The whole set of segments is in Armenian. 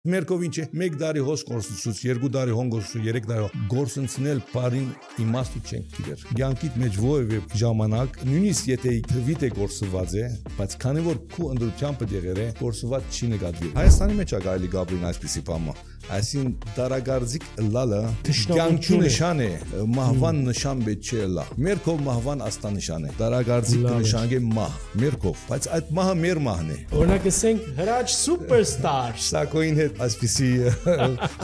Մերկով ինչ է, 1 տարի հոս գործունեություն, 2 տարի հոնգործություն, 3 տարի գործունեել բարին իմաստու չենք գիտեր։ Ցանկիտ մեջ ովևէ ժամանակ, նույնիսկ եթե թվիտ է գործված է, բայց քանի որ քու ընդրությամբ դեղեր է, գործված չի նկատվի։ Հայաստանի մեջ է գալի Գաբրին այսպիսի բանը։ Այսին դարագարձիկ լալը կյանքի նշան է, մահվան նշան պետք չէ լա։ Մերկով մահվան աստա նշան է։ Դարագարձիկ նշան է մահ, մերկով, բայց այդ մահը մեր մահն է։ Օրինակ ասենք Հրաչ սուպերստար։ Սակոին հետ այսպիսի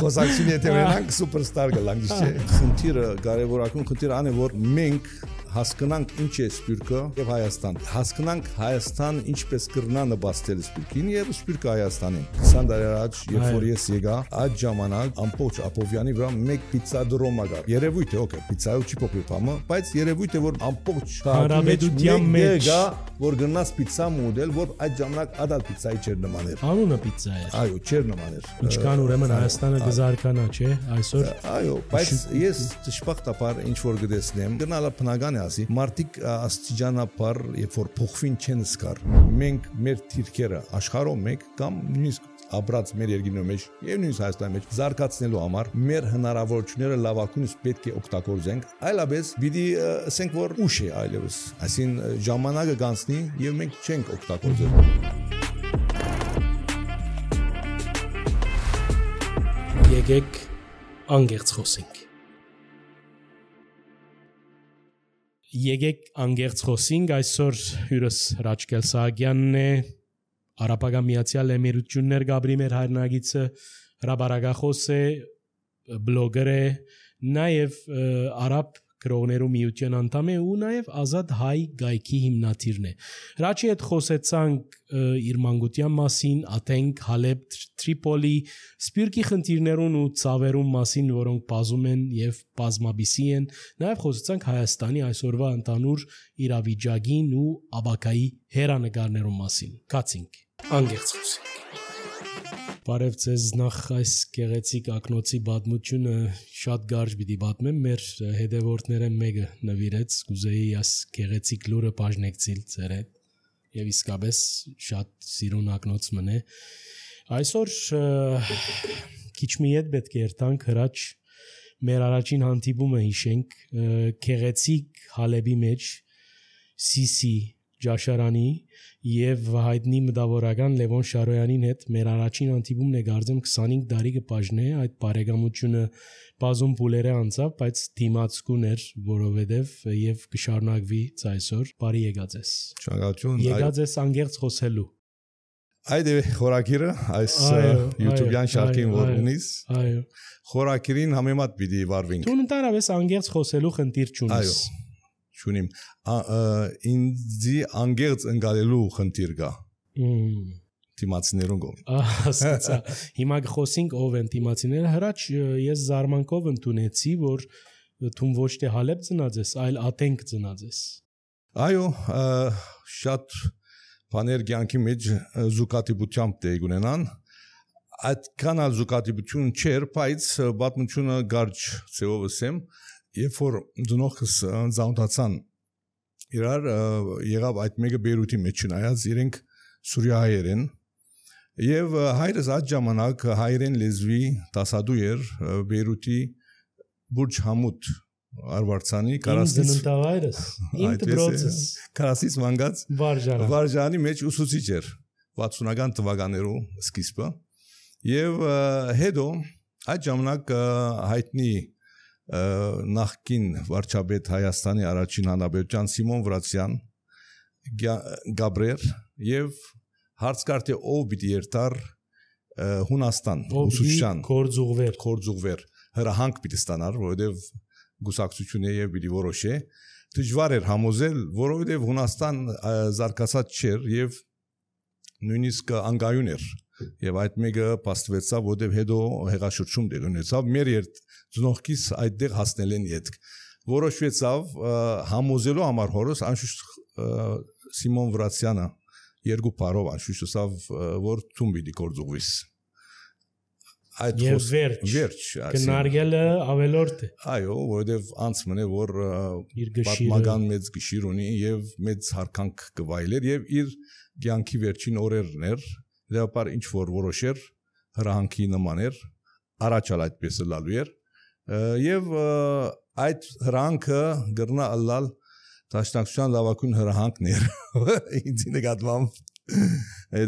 խոսակցություն եթե ունենանք սուպերստար գլանք չէ։ Խնդիրը կարևորական խնդիրը ան է որ մենք հասկանանք ինչ է Սփյուռքը եւ Հայաստան։ Հասկանանք Հայաստան ինչպես կրնա նպաստել Սփյուռքին եւ Սփյուռքը Հայաստանին։ 20 տարի առաջ երբ որ ես եկա, այդ ժամանակ ամբողջ Աբովյանի վրա մեկ պիցա դրոմա կար։ Երևույթ է, օքեյ, պիցայով չի փոխվի բամը, բայց երևույթ է որ ամբողջ հարաբերության մեջ որ գնաց պիցա մոդել, որ այդ ժամանակ ադալ պիցայի չեր նման էր։ Անունը պիցա էր։ Այո, չեր նման էր։ Ինչքան ուրեմն Հայաստանը գզարկանա, չէ, այսօր։ Այո, բայց ես ճշմարտաբար ինչ որ գտեսնեմ, գնալը բնական է ասի, մարդիկ աստիճանաբար երբ որ փոխվին չեն սկար։ Մենք մեր թիրքերը աշխարհով մեկ կամ նույնիսկ ապրած մեր երկրի մեջ եւ նույնիսկ Հայաստանի մեջ զարգացնելու համար մեր հնարավորությունները լավակույնս պետք է օգտագործենք, այլապես պիտի ասենք որ ուշ է այլևս, այսին ժամանակը գանցնի եւ մենք չենք օգտագործել։ Եկեք անգերց խոսենք։ Եկեք անգերց խոսենք, այսօր հյուրս Հրաչկել Սահակյանն է, Արաբական Միացյալ Էմիրություններ Գաբրի մեր հայրենագիցը, հրապարակախոս է, բլոգեր է, նաև արաբ գրողներու միության անդամ է ու նաև ազատ հայ գայքի հիմնադիրն է։ Հրաչի հետ խոսեցանք իր մանկության մասին, Աթենք, Հալեբ, Տրիպոլի, Սփյուռքի խնդիրներուն ու ցավերուն մասին, որոնք բազում են եւ բազմաբիսի են, նաև խոսեցանք Հայաստանի այսօրվա ընդանուր իրավիճակին ու աբակայի հերանեկարներուն մասին։ Կացինք, անգերց խոսենք։ Բարև ձեզ, նախ այս գեղեցիկ ակնոցի պատմությունը շատ կարճ պիտի պատմեմ, մեր հետևորդները մեկը նվիրեց, կուզեի այս գեղեցիկ լուրը բաժնեկցիլ ձեր հետ եւ իսկապես շատ սիրուն ակնոց մնե։ Այսօր քիչ մի հետ պետք է երթանք Հրաչ մեր առաջին հանդիպումը հիշենք գեղեցիկ Հալեբի մեջ Սիսի Ջաշարանի եւ հայտնի մտավորական Լևոն Շարոյանին հետ մեր առաջին հանդիպումն է գարձեմ 25 տարի կպաժնե այդ բարեկամությունը բազում փուլերը անցավ, բայց դիմացկուն էր, որովհետեւ եւ կշարունակվի այսօր։ Բարի եկած ես։ Շնորհակալություն։ Եկած ես անգերց խոսելու։ Այդ է խորակիրը, այս YouTube-յան շարքին որ ունիս։ Այո։ Խորակիրին համեմատ պիտի վարվենք։ Դու ընդհանրապես անգերց խոսելու խնդիր չունես։ Այո։ Չունիմ ինձի անգերց ընկալելու խնդիր կա թիմացիներուն կողմից ասացա հիմա խոսենք ով են թիմացիները Հրաչ ես զարմանքով ընդունեցի որ դու ոչ թե Հալեբ ծնած ես այլ Աթենք ծնած ես այո շատ բաներ կյանքի մեջ զուգատիպությամբ դե ունենան այդքան ալ զուգատիպություն չէր բայց պատմությունը կարճ ծեով ասեմ Երբ որ ծնողս ծանոթացան իրար եղավ այդ մեկը Բեյրութի մեջ չնայած իրենք սուրիահայեր են եւ հայրս այդ ժամանակ հայերեն լեզվի դասադու էր Բեյրութի Բուրջ Համուդ Արվարձանի Կարասից մանգած Վարժանի մեջ ուսուցիչ էր 60-ական թվականներու սկիզբը եւ հետո այդ ժամանակ հայտնի նախկին վարչապետ Հայաստանի առաջին հանրապետության Սիմոն Վրացյան Գաբրեր եւ հարցկարտի ով պիտի երթար Հունաստան ուսուցչական կորձուղվեր հրահանգ պիտի ստանար որովհետեւ գուսակցությունը եւ պիտի որոշե դժվար էր համոզել որովհետեւ Հունաստան զարգացած չէր եւ նույնիսկ անգայուն էր եւ այդ մեկը փաստվեցավ որովհետեւ հետո հեղաշրջում դեր ունեցավ մեր ծնողքիս այդտեղ հասնել են յետք որոշվեցավ համոզելու համար հորս անշուշտ Սիմոն Վրացյանը երկու բարով անշուշտ ասավ որ ցում պիտի կորձուղվիս այդ վերջ կնարգելը ավելորդ է այո որովհետեւ անց մնե որ պատմական մեծ գիշիր ունի եւ մեծ հարկանք կվայելեր եւ իր կյանքի վերջին օրերն էր դեպար ինչ որ որոշեր հրահանգի նման էր, առաջալ այդպես լալու էր եւ այդ հրահանգը գրնա ըլլալ Դաշնակցության լավագույն հրահանգն էր ինձ նկատմամբ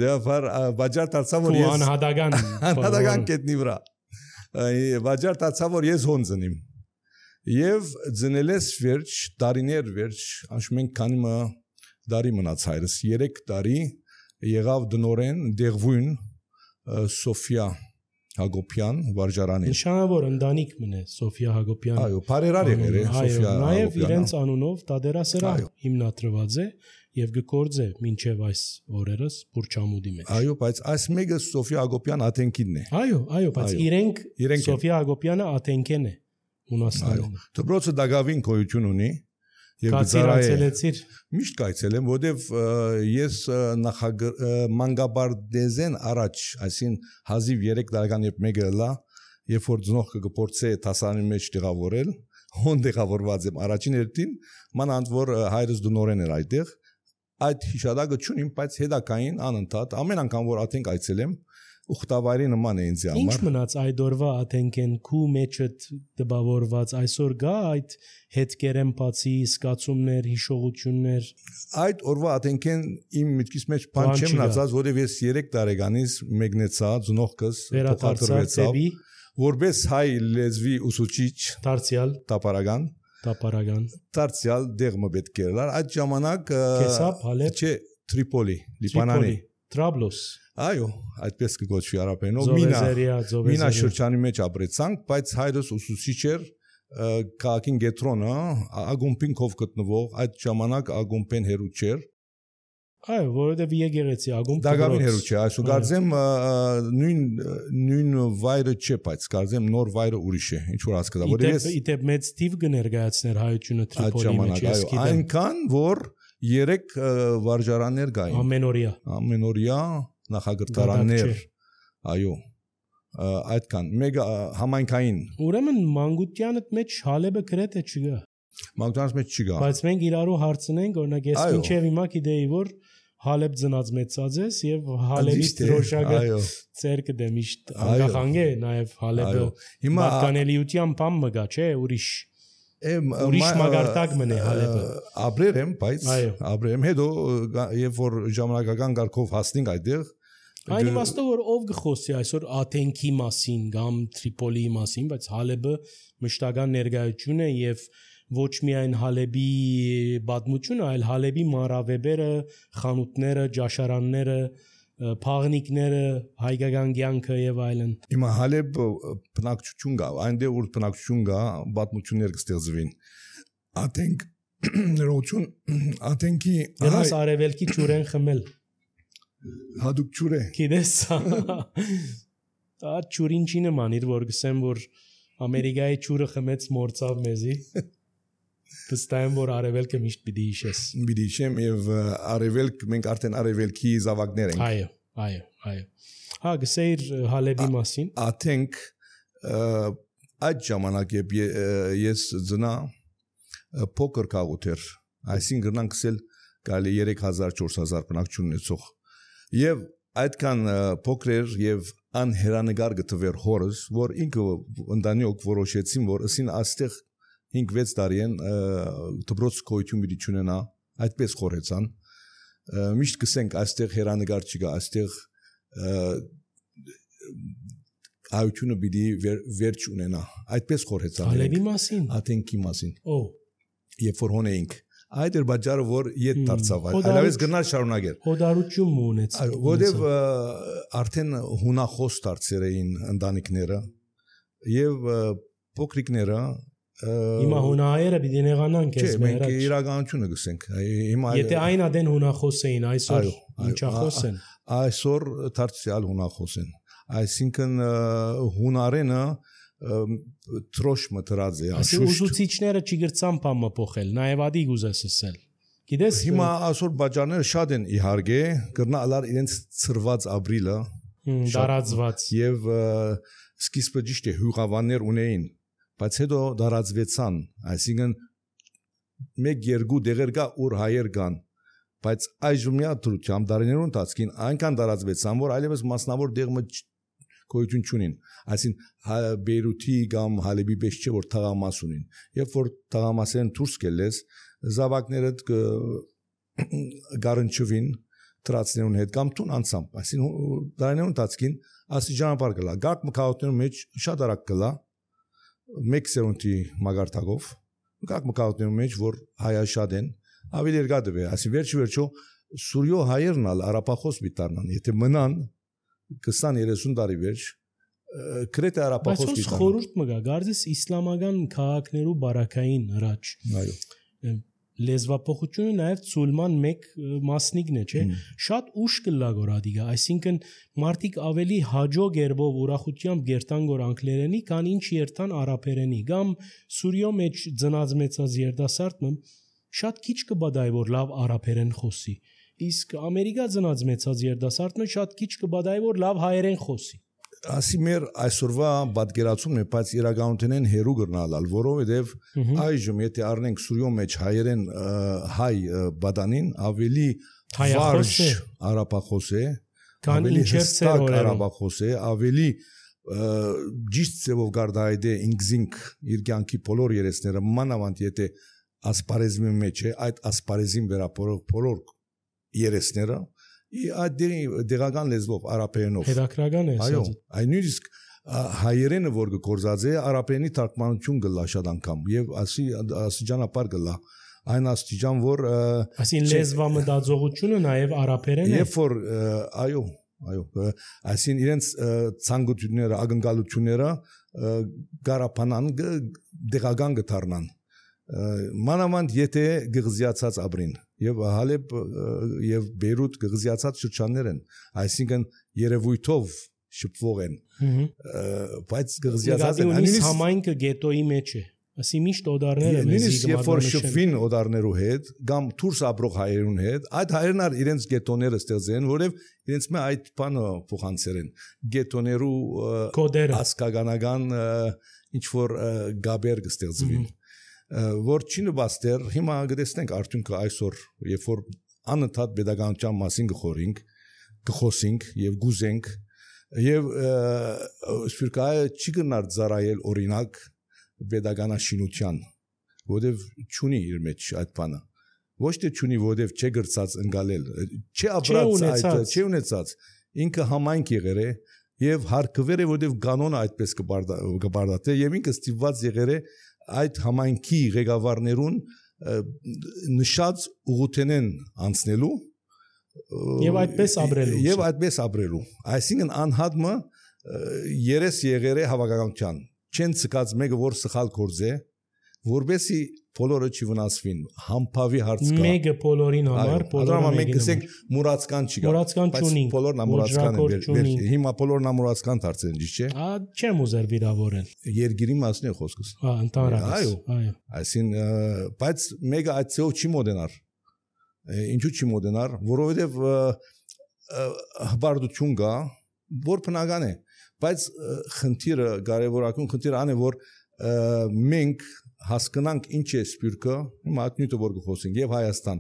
Դեպար բաժար դարձա որ ես անհատական կետնի վրա բաժար դարձա որ ես հոնձնիմ եւ ձնելես վերջ տարիներ վերջ անշմեն քանի դարի մնաց հայրս 3 տարի եղավ դնորեն դեղվույն Սոֆիա Հակոբյան վարժարանի նշանավոր ընտանիք մնե Սոֆիա Հակոբյան այո բարերար եղեր Սոֆիա նաև իրենց անունով դադերասրահ հիմնադրված է եւ գործե մինչեւ այս օրերս Բուրչամուդի մեջ այո բայց այս մեկը Սոֆիա Հակոբյան Աթենքինն է այո բայց իրենք Սոֆիա Հակոբյանը Աթենքեն է Հունաստանում դպրոցը դակավին գոյություն ունի եւ գծարայեցիր միշտ կայցելեմ որովհետեւ ես մանգաբարդեզեն առաջ այսին հազիվ 3 տարեկան երբ մեկը լա երբ որ ծնողքը գործե տասանի մեջ տեղավորել հոն տեղավորված եմ առաջին երթին մանանդ որ հայրս դնորեն էր այդտեղ այդ հիշադակը չունիմ բայց հետակային անընդհատ ամեն անգամ որ աթենք այցելեմ ուխտավայրի նման է ինձ համար ինչ մնաց այդ օրվա աթենքեն քու մեջը դպավորված այսօր գա այդ հետքերեն բացի սկացումներ հիշողություններ այդ օրվա աթենքեն իմ միտքից մեջ բան չեմ մնացած որովհետև ես 3 տարեկանից մեկնեցա ծնողքս փոխադրվեցավ որպես հայ լեզվի ուսուցիչ դարձյալ տապարական դարձյալ դեղը պետք էր այդ ժամանակ Կեսապ Հալեբ չէ Տրիպոլի Լիբանանի Տրաբլոս այո այդպես կգոչվի արաբերենով մինա շրջանի մեջ ապրեցանք բայց հայրս ուսուցիչ էր քաղաքին գետրոնը ագումպինքով գտնվող այդ ժամանակ ագումպեն հերու չէր այո որովհետև եկեղեցի ագումպ դակավին հերու չէ այսու գարձեմ նույն վայրը չէ բայց գարձեմ նոր վայրը ուրիշ է ինչ որ հասկացա որ ես իդեպ մեծ տիվ կներկայացներ հայությունը Տրիպոլի մեջ ես գիտեմ այնքան որ 3 վարժարաններ կային ամենօրյա նախագրտարաններ այո այդքան մեգա համայնքային ուրեմն մանկությանդ մեջ Հալեբը գրեթե չկա մանկությանս մեջ չկա բայց մենք իրարու հարցնենք օրինակ ես մինչև հիմա գիտեի որ Հալեբ ծնած մեծած ես եւ Հալեբի դրոշակը ցերկը դե միշտ անկախանգ է նաեւ Հալեբը պատկանելիության բան մգա չէ ուրիշ մագարտակ մնե Հալեբը ապրեր եմ բայց ապրեր եմ հետո երբ որ ժամանակական կարգով հասնենք այդտեղ այն իմաստով որ ով գխոսի այսօր Աթենքի մասին կամ Տրիպոլիի մասին բայց Հալեբը մշտական ներկայություն է եւ ոչ միայն Հալեբի պատմությունը այլ Հալեբի մանրավեբերը խանութները ջաշարանները փաղնիկները հայկական կյանքը եւ այլն հիմա Հալեբ բնակչություն կա այնտեղ որ բնակչություն կա պատմություններ կստեղծվին Աթենք ներողություն Աթենքի դրանց արևելքի ջուրեն խմել հadouk ջուրե գիտես դա ջուրին չի նման իր որ գսեմ որ Ամերիկայի ջուրը խմեց մորցավ մեզի Վստահ եմ որ արևելքը միշտ պիտի հիշես պիտի հիշեմ եւ արևելք մենք արդեն արևելքի զավակներ ենք այո հա գսեիր Հալեբի մասին Աթենք այդ ժամանակ ես ծնա փոքր քաղուտ էր այսինքն գնանք գսել գալի 3000-4000 բնակչություն ունեցող եւ այդքան փոքր էր եւ անհերանեկար գտվեր հորս որ ինքը ընտանիք որոշեցին որ ասին աստեղ 5-6 տարի են դպրոց գոյություն պիտի չունենա այդպես խորեցան միշտ գսենք այստեղ հերանեկար չկա այստեղ այությունը պիտի վերջ ունենա այդպես խորեցան Հալեբի մասին Աթենքի մասին երբ որ հոնեինք այդ էր բաժարը որ իդ դարձավ այլևս գնալ շարունակեր հոդարություն ունեց որովհետև արդեն հունախոս դարձել էին ընտանիքները եւ փոքրիկները Հիմա հունահայերը պիտի նեղանան քեզ մեր առաջ։ Չէ, մենք իրականությունը գսենք։ Հիմա Եթե այն ադեն հունախոս էին, այսօր ինչախոս են։ Այսօր դարձյալ հունախոս են։ Այսինքն հունարենը թրոշ մտրած է, անշուշտ։ Ուսուցիչները չգրցան բամը փոխել, նաև ադի գուզես ասել։ Գիտես, հիմա այսօր բաժանները շատ են իհարկե, կրնալար իրենց ծրված ապրիլը, դարածված եւ սկիզբը ճիշտ է հյուղավաններ ունեին, բայց հետո դարածվեցան, այսինքն 1-2 դեղեր կա ուր հայեր կան, բայց այժմյա դրությամբ դարիներուն տածքին այնքան դարածվեցան, որ այլևս մասնավոր դեղը գոյություն չունին այսինքն Բեյրութի կամ Հալեբի պես չէ որ թաղամաս ունին երբ որ թաղամասերն դուրս գելես զավակները գարնչվին տրացներուն հետ կամ տուն անցամբ այսինքն դրաներուն տածքին աստիճանաբար գլա գարկ մկաղությունների մեջ շատ արագ գլա մեկ սերունդի մագարտակով գարկ մկաղությունների մեջ որ հայաշատ են ավելի երկար դվե այսինքն վերջո Սուրյո հայերն ալ արաբախոս բիտարնան եթե մնան 20-30 տարի վերջ կրեթե արաբախոս բիտարնան բայց խորհուրդ մգա գարձես իսլամական քաղաքներու բարակային հրաչ այո լեզվափոխությունը նաև ցուլման մեկ մասնիկն է, չէ՞։ Շատ ուշ կլա գորադիգա, այսինքն մարդիկ ավելի հաջող երբով ուրախությամբ գերտան գոր անգլերենի, քան ինչ երթան արաբերենի, կամ Սուրիո մեջ ծնած մեծած երդասարտը շատ քիչ կբադայ որ լավ արաբերեն խոսի։ Իսկ Ամերիկա ծնած մեծած երդասարտը շատ քիչ կբադայ որ լավ հայերեն խոսի։ Ասի մեր այսօրվա պատկերացումն է, բայց իրականությունն հերու գրնալալ, որովհետև այժմ եթե առնենք Սուրիո մեջ հայերեն հայ բադանին ավելի վարժ արաբախոս է, ավելի հստակ արաբախոս է, ավելի ճիշտ ձևով գարդայդե ինքզինք իր կյանքի բոլոր երեսները մանավանդ եթե ասպարեզմի մեջ է, այդ ասպարեզին վերապորող բոլոր երեսները այդ դեղական լեզվով արաբերենով հետաքրական է այո այն նույնիսկ հայերենը որ գործած է արաբերենի թարգմանություն գլա շատ անգամ եւ աստիճանաբար գլա այն աստիճան որ այսին լեզվամտածողությունը նաեւ արաբերեն է երբ որ այո այսին իրենց ցանկությունները ակնկալությունները գարապանան դեղական գտարնան մանավանդ եթե գղզիացած ապրին եւ Հալեբ եւ Բեյրութ գղզիացած շրջաններ են այսինքն երևույթով շփվող են բայց գղզիացած են նույնիսկ համայնքը գետոյի մեջ է ասի միշտ օդարները նույնիսկ երբ որ շփվին օդարներու հետ կամ դուրս ապրող հայերուն հետ այդ հայերն ար իրենց գետոները ստեղծեն որև իրենց մե այդ բանը փոխանցերեն գետոներու ասկագանական ինչ որ գաբեր կստեղծվին որ չի նվաստեր հիմա գտեսնենք արդյունքը այսօր երբ որ անընդհատ pedagogical մասին գխոսենք եւ գուզենք եւ սպիրկայը չի գնար ծառայել օրինակ pedagogical որովհետեւ ճունի իր մեջ այդ բանը ոչ թե ճունի որովհետեւ չէ գրծած ընկալել չէ ապրած այդ չէ ունեցած ինքը համայնք եղեր է եւ հարկվեր է որովհետեւ կանոնը այդպես կբարդատե եւ ինքը ստիպված եղեր է այդ համայնքի ղեկավարներուն նշած ուղղութենեն անցնելու եւ այդպես ապրելու այսինքն անհատը երես եղեր է հավաքականության չեն ցկած մեկը որ սխալ գործ է որբեսի բոլորը չվնասվին համբավի հարց կա մեկը բոլորին համար բոլորը մենք ասենք մուրացկան չի բայց բոլորն ամուրացկան են հիմա բոլորն ամուրացկան դարձել ճիշտ չէ չեմ ուզեր վիրավորել երգիրի մասն է խոսքս ընդհանրապես այո այսին բայց մեկը այդ ծով չի մոդենար ինչու չի մոդենար որովհետև հբարդություն կա որ բնական է բայց խնդիրը կարևորագույն խնդիրը այն է որ մենք հասկանանք ինչ է սպյուրքը հիմա ատնյութը որ գխոսենք եւ Հայաստան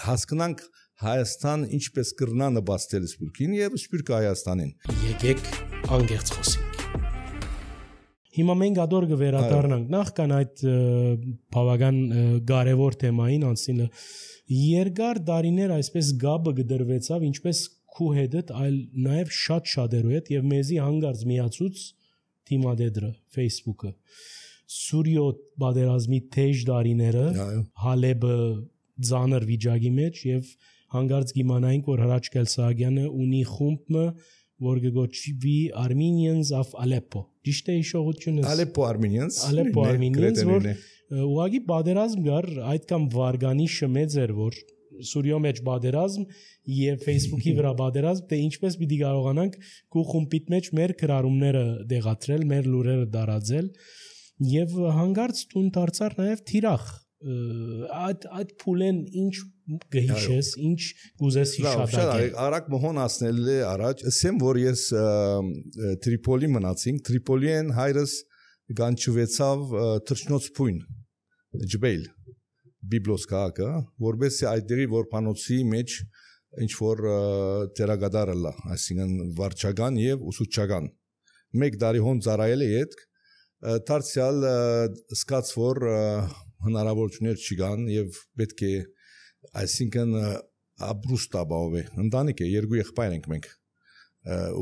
հասկանանք Հայաստան ինչպես կրնա նպաստել սպյուրքին եւ սպյուրքը Հայաստանին եկեք անգերց խոսենք հիմա մենք ադոր կվերադառնանք նախքան այդ բավական կարևոր թեմային անցնելը երկար դարիներ այսպես գաբը գդրվեցավ ինչպես քու հետդ այլ նաեւ շատ շատերու հետ եւ մեզի հանգարց միացուց թիմադեդրը Facebook-ը Սուրիո բادرազմի թեժ դարիները Հալեբը ծանր վիճակի մեջ եւ հանգարց գիմանայինք որ Հրաչ Կելսագյանը ունի խումբը որ գոչվի Armenians of Aleppo ճիշտ է հիշողությունը Aleppo Armenians որ ուղղակի բادرազմ գար այդքան վարգանիշը մեծ էր որ Սուրիո մեջ բادرազմ եւ Facebook-ի վրա բادرազմ թե ինչպես պիտի կարողանանք քու խումբիտ մեջ մեր քրարումները դեղատրել մեր լուրերը դարածել եւ հանգարց տուն դարձար նաեւ թիրախ այդ փուլեն ինչ գհիշես ինչ կուզես հիշատակել արագ մոհոն ասնել է առաջ ասեմ որ ես Տրիպոլի մնացինք Տրիպոլիեն հայրս գանչվեցավ թրջնոց փույն ջբեյլ բիբլոս քաղաքը որբեսի այդերի որ փանոցի մեջ ինչ որ տերագադարը լա այսինքն վարչական եւ ուսուցչական մեկ տարի հոն ծառայել է յետք դարձյալ սկաց որ հնարավորություններ չկան եւ պետք է այսինքն ապրուստաբավ է ընտանիք է երկու եղբայր ենք մենք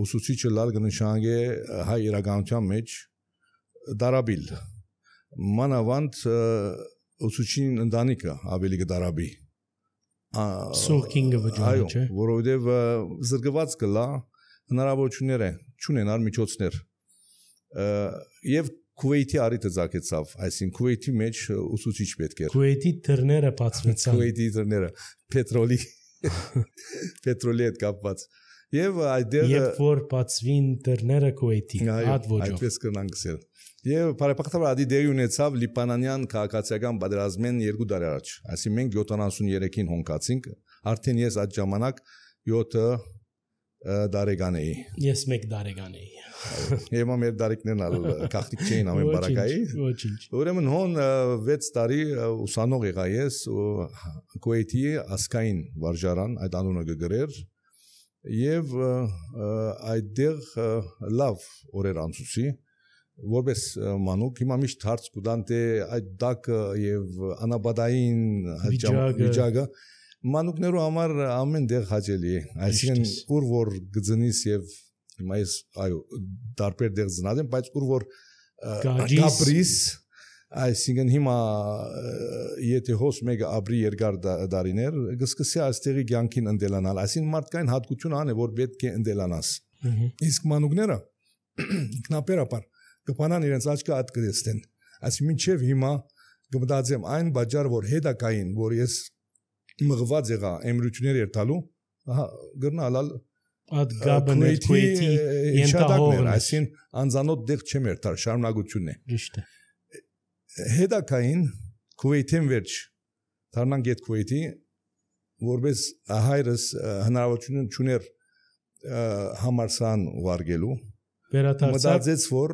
ուսուցիչը լալ կնշանակե հայ իրականության մեջ դարաբիլ մանավանդ ուսուցչին ընտանիքը ավելի կդարաբի սուրքինգը վճարը չէ որովհետեւ զրկված կլա հնարավորություններ չունենալ միջոցներ եւ Քուվեյթի արիտը ցակեցավ, այսինքն Քուվեյթի մեջ ուսուցիչ պետք էր։ Քուվեյթի դռները բացվեցան։ Քուվեյթի դռները պետրոլի հետ կապված։ Եվ այդտեղ երբ որ բացվին դռները Քուվեյթի, հատ ոճով։ Այդպես կնանք ասել։ Եվ բարեբախտաբար ադի դերի ունեցավ լիբանանյան քաղաքացիական պատերազմեն 2 տարի առաջ։ Այսինքն մենք 73-ին հոնկացինք, արդեն ես այդ ժամանակ 7 դարեգան էի։ Ես 1 դարեգան էի։ Եվ մեր դարիքներն ալ կախտիկ չէին ամեն բարակայի։ Ոչինչ։ Ուրեմն հոն 6 տարի ուսանող եղա ես Քուվեյթի ասկային վարժարան այդ անունը գրեր եւ այդտեղ լավ օրեր անցուցի որպես մանուկ հիմա միշտ հարց կուտան թե այդ դակը եւ անաբադային վիճակը մանուկներու համար ամեն դեղ հաճելի է այսինքն ուր որ գծնից եւ հիմա ես այո դարբեր դեղ զնադեմ բայց ուր որ գաբրիս այսինքն հիմա եթե հոս մեկը ապրի երկար դարիներ գսկսի այստեղի ցանկին ընդելանալ այսինքն մարդկային հատկություն ան է որ պետք է ընդելանաս իսկ մանուկները ինքնաբերաբար կփանան իրենց աչքը այդ կդեստեն այսինքն մինչև հիմա կմտածեմ այն բաժար որ հետակային որ ես մղված եղա էմրություններ երթալու ահա գրնալալ այդ գաբներ Քուվեյթի ենթահողն այսին անզանոթ դեղ չեմ երթալ շարունակությունն է ճիշտ է հետակային Քուվեյթին վերջ դառնանք այդ Քուվեյթի որպես հայրս հնարավորություն չուներ համարսան վարգելու մտածեց որ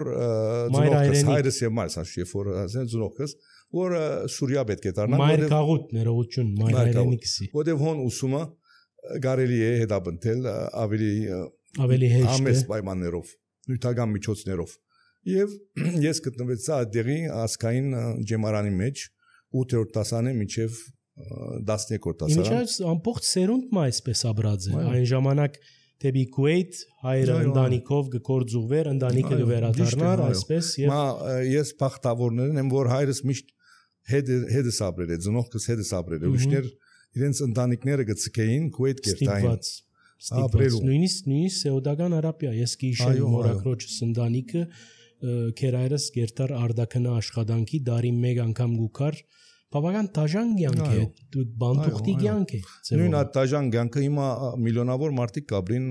հայրս եւ մայրս ասի որ ասեն զրոքս որ Սուրիա պետք է դառնա մայր քաղուտ ներողություն մայր հայրենիքսի որտեվ հոն ուսումը գարելի է հետապնդել ավելի հեշտ ամես պայմաններով նյութական միջոցներով եւ ես գտնվեցա այդտեղի ասկային ջեմարանի մեջ 8-րդ դասարանի մինչեւ 12-րդ դասարան Ինչպես ամբողջ սերունդը այսպես ապրած է այն ժամանակ դեպի Քուվեյթ հայրը ընտանիքով գործուղվեր ընտանիքը գվերադառնար այսպես եւ ես բախտավորներն եմ որ հայրս միշտ հետս ապրել է ծնողքս հետս ապրել է ուրիշներ իրենց ընտանիքները գծկեին Քուվեյթ կերտային ապրելու նույնիսկ Սեուդական Արաբիա ես կհիշեմ մորակրոջս ընտանիքը քերայրս գերտար արդակնա աշխատանքի դարի 1 անգամ գուքար բավական դաժան կյանք է բանտուղտի կյանք է նույն այդ դաժան կյանքը հիմա միլիոնավոր մարդիկ կապրին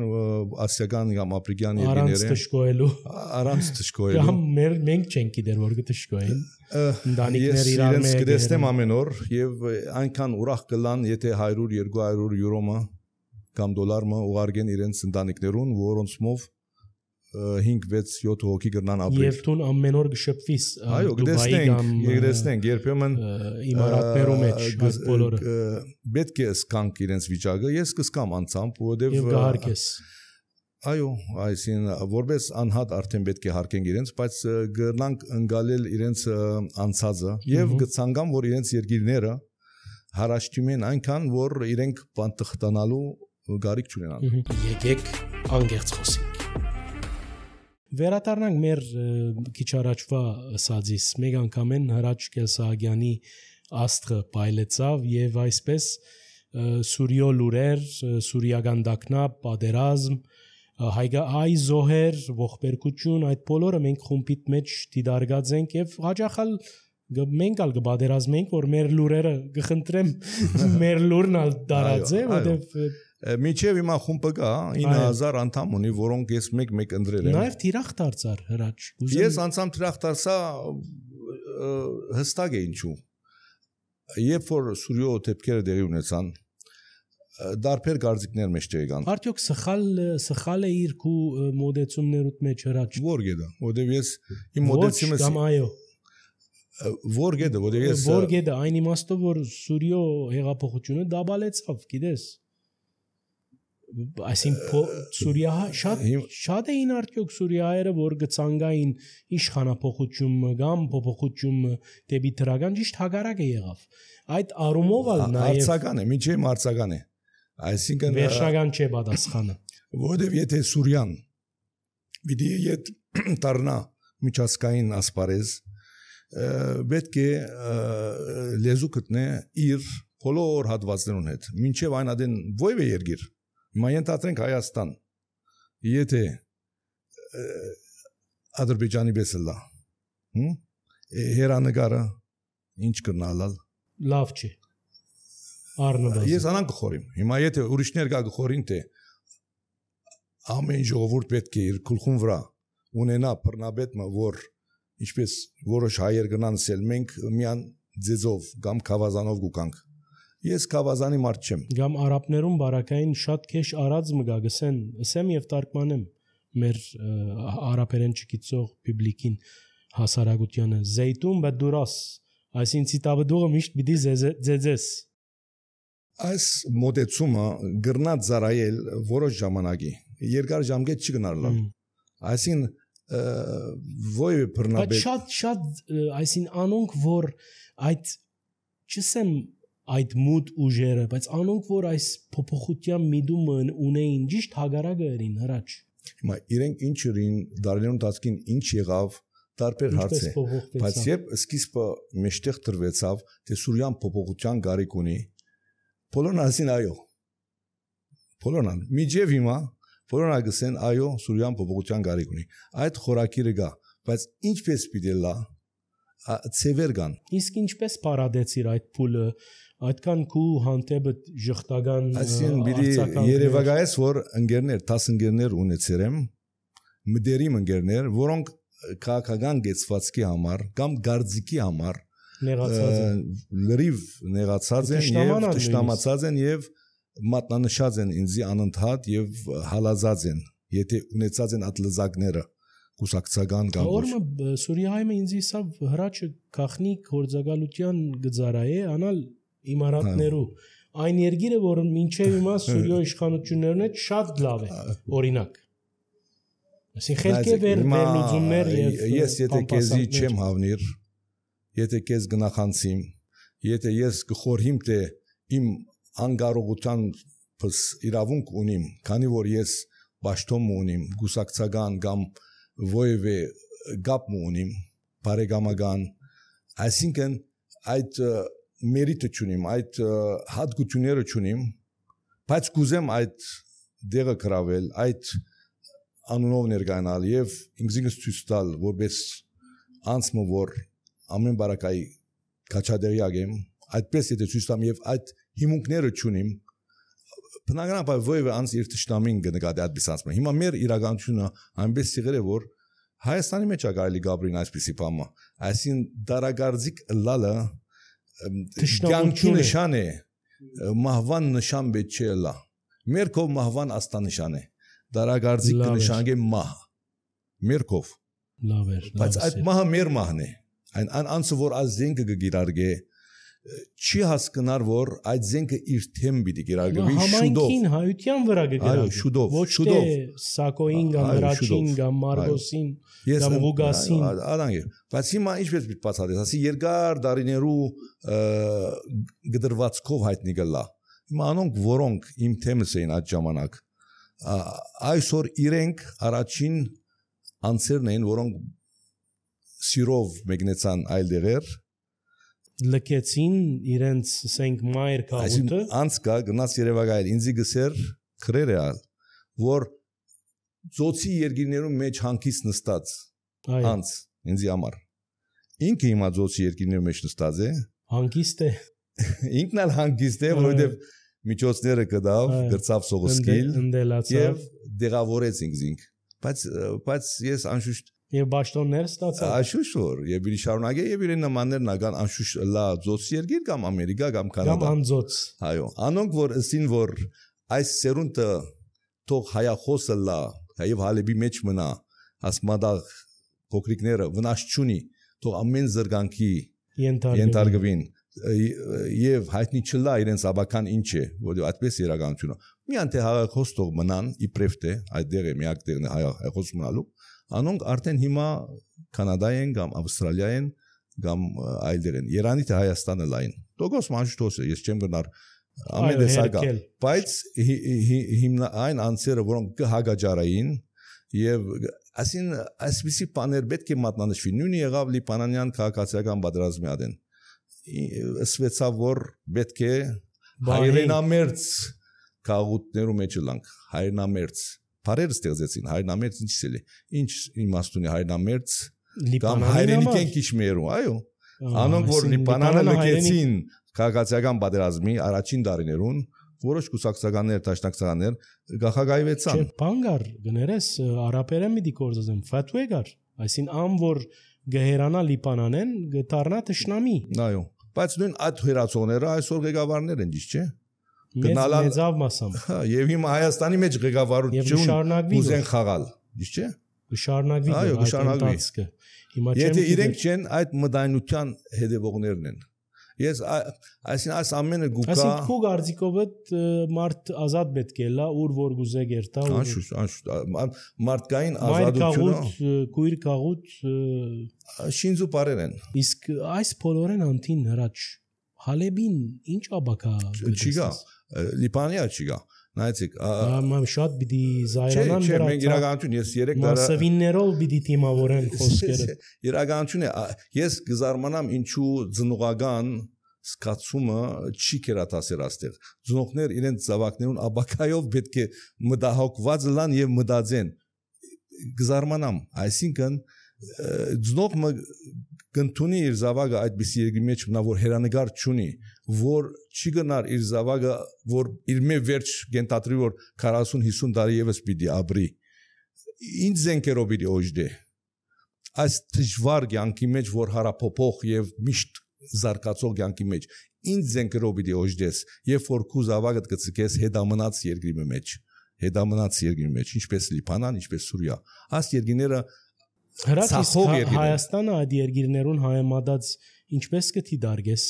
ասիական կամ աֆրիկյան երկրները առանց թշկոելու կամ մենք չենք գիտեր որ կթշկոեն ընտանիքներ իրար մեջ կդեսնեմ ամեն օր եւ այնքան ուրախ կլան եթե 100-200 յուրոմը կամ դոլարը ուղարկեն իրենց ընտանիքներուն որոնցմով 5-6-7 հոգի գրնան ապրել։ Եվ դու ամեն օր գշփվիս Դուբայի կամ գտեսնենք երբեմն իմարատներու մեջ այս բոլորը պետք է սկանք իրենց վիճակը ես կսկամ անցամբ որովհետև եւ կհարկես այո այսին որպես անհատ արդեն պետք է հարկենք իրենց բայց գրնանք ընկալել իրենց անցածը եւ գցանգամ որ իրենց երկիրները հարաշտում են այնքան որ իրենք բանտխտանալու գարիք չունենան եկեք անգերց խոսենք Վերադառնանք մեր քիչ առաջվա ասածից մեկ անգամ են Հրաչ Կելսահագյանի աստղը պայլեցավ եւ այսպես Սուրիո լուրեր, Սուրիական դակնապ, պատերազմ, հայ զոհեր, ողբերգություն, այդ բոլորը մենք խումբիտ մեջ դիդարգած ենք եւ հաջախալ մենք ալ կբادرազմենք որ մեր լուրերը կխնդրեմ մեր լուրն ալ դարած է որտեւ Միջև հիմա խումբը կա 9000 անդամ ունի, որոնք ես մեկ ընդրել եմ։ Նաև թիրախ դարձար Հրաչ։ Ես անցամ թիրախ դարձա հստակ է ինչու։ Երբ որ Սուրիո դեպքերը դերի ունեցան, դարբեր գարձիկներ մեջ եկան։ Արդյոք սխալ է իր քու մոդեցումներուտ մեջ Հրաչ։ Որ գեդա, որտեվ ես իմ մոդեցումը կամ այո։ Որ գեդա, որտեվ ես Որ գեդա այն իմաստով որ Սուրիո հեղափոխությունը դաբալեցավ, գիտես։ այսինքն Սուրիա շատ էին արդյոք Սուրիայերը որ գցանգային իշխանապողությունը կամ փոփոխությունը դեպի դրական ճիշտ հագարակ է եղավ այդ առումով ալ նաև արցական է միջև արցական է այսինքն վերջնական չէ պատասխանը որովհետև եթե Սուրիան պիտի իդ դառնա միջազգային ասպարեզ պետք է լեզու գտնե իր բոլոր հատվածներուն հետ մինչև այն adin ովև է երկիր Հիմա ենթադրենք Հայաստան եթե Ադրբեջանի պես լա հերանեկարը ինչ կնալալ լավ չի առնվազն ես անան կխորիմ հիմա եթե ուրիշներ գա կխորին թե ամեն ժողովուրդ պետք է իր գլխուն վրա ունենա բռնաբետը որ ինչպես որոշ հայեր գնան ասել մենք միան ձեզով կամ խավազանով գուկանք Ես կավազանի մարդ չեմ։ Գամ արաբներուն բարակային շատ քեշ արած մգա գսեն, ասեմ եւ տարկմանեմ մեր արաբերեն չգիտող պուբլիկին հասարակությանը զեյտուն բդուրաս, այսին ցիտաբդուղը միշտ պիտի ձեձես։ Այս մոդեցումը գրնած զարայել որոշ ժամանակի, երկար ժամկետ չգնալալ։ Այսին ովև բռնաբեդ։ Շատ այսին անոնք որ այդ չսեմ այդ մուտ ուժերը, բայց անոնք որ այս փոփոխության միտումը ունեին, ճիշտ հագարակը երին հրաչ։ Հիմա իրենք ինչ ուրին դարերուն տածքին ինչ եղավ, տարբեր հարց է, բայց երբ սկիզբը մեջտեղ դրվեցավ, թե Սուրիան փոփոխության գարիք ունի, բոլորն ասին այո։ Բոլորն միջև հիմա բոլորն ասեն այո, Սուրիան փոփոխության գարիք ունի։ Այդ խորակիրը գա, բայց ինչպես պիտի լա ծևեր կան։ Իսկ ինչպես պարադեցիր այդ փուլը այդքան քու հանդեպը ժխտական Այսին բիդի երևակայես որ ընկերներ 10 ընկերներ ունեցերեմ մդերիմ ընկերներ որոնք քաղաքական գեցվածքի համար կամ գարձիկի համար լրիվ նեղացած են եւ տշնամացած են եւ մատնանշած են ինձի անընդհատ եւ հալազած են եթե ունեցած են ատլզակները կուսակցական կամ Օրը Սուրիայում ինձ իսավ հրաչը քախնի գործակալության գծարայե անալ իմարատներու այն երգիրը որ մինչև հիմա Սուրիո իշխանություններն հետ շատ լավ է օրինակ այսինքն խելքե վերլուծումներ եւ ես եթե քեզի չեմ հավնիր եթե քեզ գնախանցիմ եթե ես գխորհիմ թե իմ անգարողության պես իրավունք ունիմ քանի որ ես պաշտոն ունիմ գուսակցական կամ ովևէ գապ ունիմ բարեկամական այսինքն այդ մերիտը չունիմ, այդ հատկությունները չունիմ, բայց կուզեմ այդ դեղը կրավել, այդ անունով ներկայանալ եւ ինքնին ցույց տալ, որպես անցմը որ ամեն բարակայի քաչադերյակ եմ, այդպես եթե ցույց տամ եւ այդ հիմունքները չունիմ, բնականաբար ովևէ անց իր ճշտամին կնկատի այդպես անցմը։ Հիմա մեր իրականությունը այնպես եղել է որ Հայաստանի մեջ է կարելի գաբրին այսպիսի բամը, այսին դարագարձիկ լալը Կյանքի նշան է, մահվան նշան պետք չէ լա։ Մեր կով մահվան աստանշան է։ Դարագարձիկ նշան է մահ։ Մեր կով։ Լավ էր։ Բայց այդ մահը մեր մահն է։ Այն անցը որ այս զենքը կգիրարգե, չի հասկնար որ այդ զենքը իր թեմ պիտի գիրարգվի շուտով։ Համայնքին հայության վրա կգիրարգվի։ Այո, շուտով։ Ոչ թե Սակոին կամ Հրաչին կամ Մարգոսին կամ Ղուգասին։ Ադանգե։ Բայց հիմա ինչպես պիտի բացատրես, ասի երկար դարիներու գդրվածքով հայտնի գլա։ Հիմա անոնք որոնք իմ թեմս էին այդ ժամանակ այսօր իրենք առաջին անձերն էին որոնք սիրով մեկնեցան այլ դեղեր լքեցին իրենց ասենք մայր քաղուտը անցկա գնաց Երևակայել ինձի գսեր քրեր ալ որ ծոցի երկիրներում մեջ հանգիստ նստած անց ինձի համար ինքը հիմա ծոցի երկիրներում մեջ նստած է հանգիստ է ինքն ալ հանգիստ է որովհետև միջոցները կդավ գրծավ սողոսկիլ եւ դեղավորեց ինքզինք բայց ես անշուշտ Եվ բաշտոններ ստացա։ Անշուշտ որ եւ իր շարունակե եւ իրեն նմաններն ական անշուշտ լա ծոց երկիր կամ Ամերիկա կամ Կանադա։ Կամ անձոց։ Այո, անոնք որ ասին որ այս սերունդը թող հայախոսը լա, եւ հալեբի մեջ մնա, ասմադաղ փոքրիկները վնաս չունի, թող ամեն զրգանքի ենթարկվին եւ հայտնի չլա իրենց աբական ինչ է, որ այդպես իրականությունը։ միան թե հաղախոստող մնան իբրև թե այդ դերը միակ դերն է հաղախոս մնալու անոնք արդեն հիմա կանադայեն կամ ավստրալիայեն կամ այլ դերեն Իրանի թե Հայաստանը լայն դոգոս մանջտոս է ես չեմ գնար ամեն դեսագա բայց հիմնա այն անձերը որոնք կհագաճարային եւ ասին այսպիսի բաներ պետք է մատնանշվի նույնը եղավ լիբանանյան քաղաքացիական պատերազմի ադեն ասվեցավ որ պետք է հայրենամերձ քաղաքներու մեջ լանք հայրենամերձ բարեր ստեղծեցին հայրենամերձ ինչ իմաստ ունի հայրենամերձ կամ հայրենիքեն քիչմերու այո անոնք որ լիբանանը լքեցին քաղաքացիական պատերազմի առաջին դարիներուն որոշ կուսակցականներ տաշնակցականներ գախագայվեցան բանգար գներես արաբերեն մի դիկորզեմ ֆատուեգար այսին ամ որ գերանա լիբանանեն գտարնա տշնամի այո բայց նույն այդ հերացողները այսօր ղեկավարներ են ճիշտ չէ մեծավ մասամբ եւ հիմա Հայաստանի մեջ ղեկավարություն ուզեն խաղալ ճիշտ չէ գշարնագվի այո գշարնագվի հիմա եթե իրենք չեն այդ մդայնության հետևողներն են ես այսին այս ամենը գուկա այսին քո գարձիկովը մարդ ազատ պետք է լա ուր որ գուզե գերտա անշուշտ մարդկային ազատությունը քույր կաղուտ շինզու բարեր են իսկ այս բոլորեն անտին հրաչ Հալեբին ինչ աբակա չգա լիբանիա չգա նայեցիք շատ պիտի զայրանան չէ մենք իրականություն ես 3 տարի մասսավիններով պիտի թիմավորեն խոսքերը իրականություն է ես գզարմանամ ինչու ծնողական սկացումը չի կերատասեր աստեղ ծնողներ իրենց զավակներուն աբակայով պետք է մտահոգված լան եւ մտածեն գզարմանամ այսինքն ծնողը կընթունի իր զավակը այդպիսի երկրի մեջ նա որ հերանեկար չունի որ չի գնար իր զավակը որ իր մե վերջ գենտատրի որ 40-50 տարի եւս պիտի ապրի ինչ զենքերով պիտի օժդե այս դժվար կյանքի մեջ որ հարապոփող եւ միշտ զարգացող կյանքի մեջ ինչ զենքերով պիտի օժդես եւ որ քու զավակը կծկես հետամնաց երկրի մեջ ինչպես Լիբանան ինչպես Սուրիա այս երկրները Հայաստանը այդ երկիրներուն հայեմադած ինչպես կթի դարգես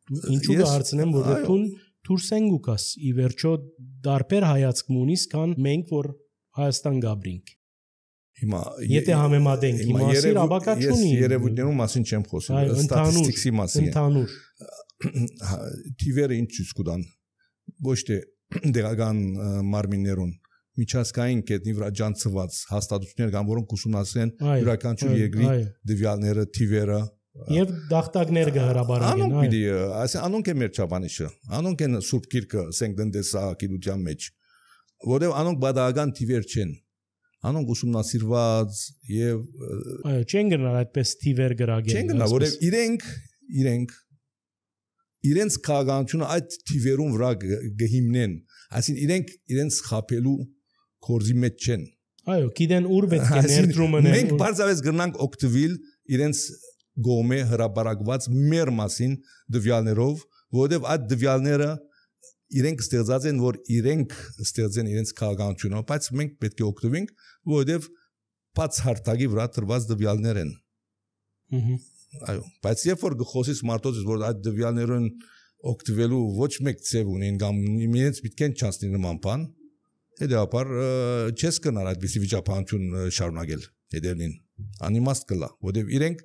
ինչու կհարցնեմ որ դուրսեն գուկաս ի վերջո դարբեր հայացք ունիս քան մենք որ Հայաստան գաբրինք հիմա եթե համեմատենք հիմա ասիր աբակա չունի ես երևույթներու մասին չեմ խոսում ստատիստիկի մասին ընդհանուր թիվերը ինչ ցույց կտան ոչ թե դեղական մարմիններուն միջազգային կետնի վրա ջանցված հաստատություններ կան որոնք ուսումնասիրեն յուրաքանչյուր երկրի դվյալները թիվերը եւ դախտակներ կհրաբարեն անոնք պիտի անոնք են մեր չափանիշը անոնք են սուրբ գիրքը սենկդենտեսա գիտության մեջ որովհետեւ անոնք բադական թիվեր չեն անոնք ուսումնասիրված եւ այո չեն գնալ այդպես թիվեր գրագել չեն գնալ որովհետեւ իրենց քաղաքականությունը այդ թիվերուն վրա գհիմնեն այսինքն իրենց խապելու կորզի մեջ չեն այո գիտեն ուր պետք է ներդրումն մենք բարձավես գնանք օկտվիլ իրենց գոմե հրաբարակված մեր մասին դվյալներով որովհետև այդ դվյալները իրենք ստեղծած են որ իրենք ստեղծեն իրենց քաղաքականությունը բայց մենք պետք է օգտվենք որովհետև բաց հարթակի վրա տրված դվյալներ են այո բայց երբ որ գխոսից մարդոց որ այդ դվյալներուն օգտվելու ոչ մեկ ծև ունեն կամ իրենց միտքեն չանցնի նման բան հետեւաբար չես կնար այդպիսի վիճակահանություն շարունակել հետևին անիմաստ կլա որովհետև իրենք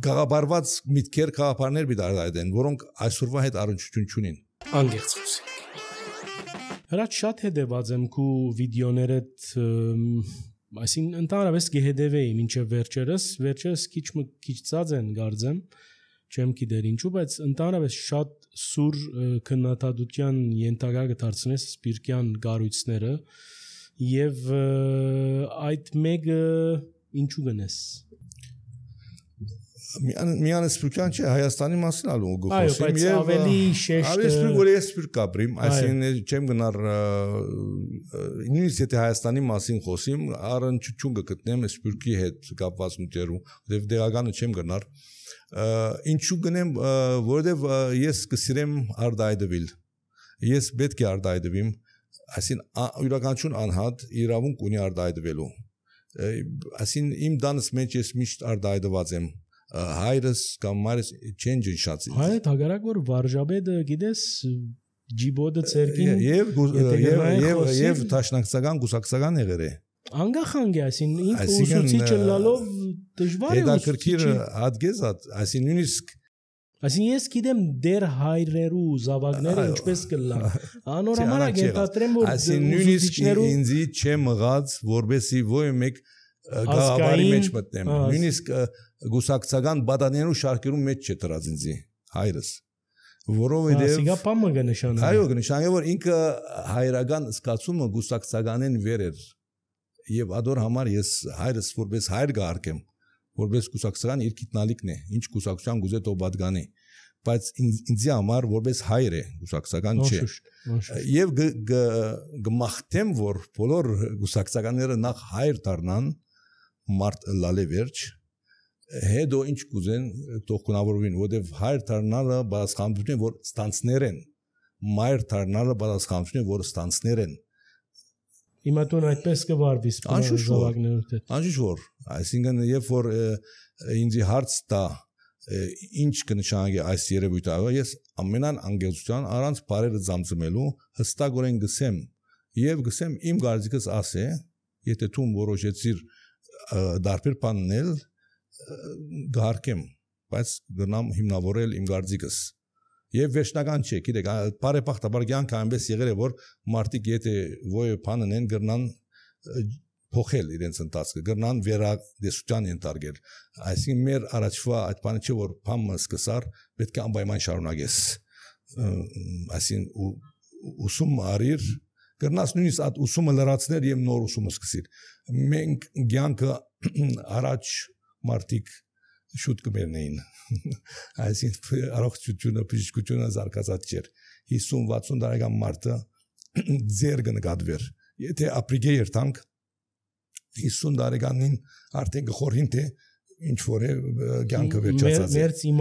գաղաբարված միտքեր քաղաքարներ բիդարդեն որոնք այսօրվա հետ առնչություն չունին անգերց խոսենք հրաչ շատ հետևած եմ քու վիդեոներդ այսինքն ընդհանրապես գեհդեվեի մինչև վերջերս քիչ ծած են գարձեմ չեմ գիտեր ինչու բայց ընդհանրապես շատ սուր քննադատության ենթակա կդարձնես սպիրկյան գառույցները եւ այդ մեկը ինչու գնես միան սպիրկյան չէ Հայաստանի մասին ալու գոհոսեմ եւ ավելի շեշտ սպիրկ որ ես սպիրկ կապրիմ այսինքն չեմ գնար նույնիսկ եթե Հայաստանի մասին խոսիմ առնչություն կգտնեմ սպիրկի հետ կապված նյութերու եւ դեղականը չեմ գնար ինչու գնեմ որովհետեւ ես կսիրեմ արդայդվել ես պետք է արդայդվեմ այսինքն յուրաքանչյուր անհատ իրավունք ունի արդայդվելու այսինքն իմ դանս մեջ ես միշտ արդայդված եմ հայրս կամ մայրս չեն ջնշած հայ հագարակ որ վարժաբեդը գիտես ջիբոդը ցերկին եւ տաշնակցական գուսակցական եղեր է անգախանգ է այսին ինքը ուսուցիչը լալով դժվար է հետաքրքիր հատկեզատ այսին նույնիսկ այսին ես գիտեմ դեր հայրերու զավակները ինչպես կլան անորոմանակ ենթադրեմ որ այսին նույնիսկ ինձի չեմ մղած որբեսի ոյ մեկ գաղավարի մեջ մտնեմ նույնիսկ գուսակցական բադաներու շարքերու մեջ չտրած ինձի հայրս որովհետեւ սիգապամը կնշանակի այո կնշանակի որ ինքը հայրական սկացումը գուսակցականեն վեր էր եւ ադոր համար ես հայրս որպես հայր գարկեմ որպես գուսակցական իր գիտնալիքն է ինչ գուսակցության գուզե թող պատգանի բայց ինձի համար որպես հայր է գուսակցական չէ եւ գմախտեմ որ բոլոր գուսակցականները նախ հայր դառնան մարդ լալե վերջ հետո ինչ կուզեն թող կունավորվին որովհետեւ հայր դառնալը բացախանություն է որ ստանցներ են մայր դառնալը բացախանություն է որ ստանցներ են Հիմա տուն այդպես կվարվի զավակներուդ հետ անշուշտ որ այսինքն երբ որ ինձի հարց տա ինչ կնշանակի այս երևույթը ես ամենան անգելության առանց բարերը ծամծմելու հստակորեն գսեմ եւ գսեմ իմ գարձիկս ասե եթե դու որոշեցիր դարբեր բաննել գարկեմ բայց գնամ հիմնավորել իմ գարձիկս Եվ վերջնական չէ, գիտեք, բարեբախտաբար կյանքը այնպես եղել է, որ մարդիկ եթե ոյ բանն են գրնան փոխել իրենց ընթացքը, գրնան վերադեսության ենթարկել։ Այսինքն մեր առաջվա այդ բանը չէ, որ բանը սկսար, պետք է անպայման շարունակես։ Այսինքն ուսում արիր, գրնաս նույնիսկ այդ ուսումը լրացնել եւ նոր ուսումը սկսիր։ Մենք կյանքը առաջ մարդիկ շուտ կմեռնեին այսինքն առողջությունը բժշկությունը զարգացած չէր 50-60 տարեկան մարդը ձեր կնկատվեր եթե ապրիգե երթանք 50 տարեկանին արդեն գխորին թե ինչ որ է կյանքը վերջացած է